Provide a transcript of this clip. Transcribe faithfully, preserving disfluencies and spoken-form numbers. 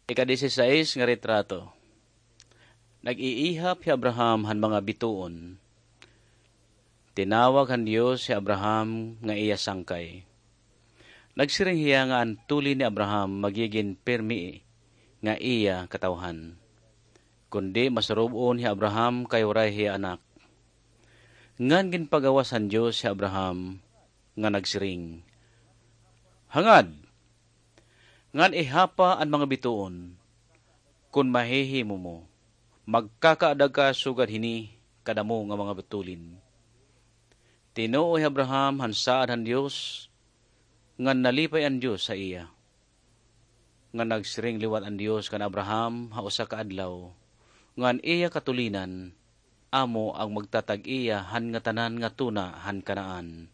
Ika-disisais nga retrato. Nag-iihap hi Abraham han mga bituon. Tinawag han Dios hi Abraham nga iya sangkay. Nagsiring hiya nga an tulin ni Abraham magigin pirmi nga iya katawhan. Kundi masurub-on hi Abraham kay waray hiya anak. Ngan ginpagawas han Dios hi Abraham nga nagsiring, "Hangad ngan ihapa an mga bituon, kon mahihimo mo, magkakaadag ka sugad hini kadamo nga mga tulin." Tinuo hi Abraham han saad han Dios, ngan nalipay an Dios ha iya. Ngan nagsiring liwat an Dios kan Abraham ha usa ka adlaw, nga an iya katulinan amo an magtatag-iya han ngatanan nga tuna han Canaan.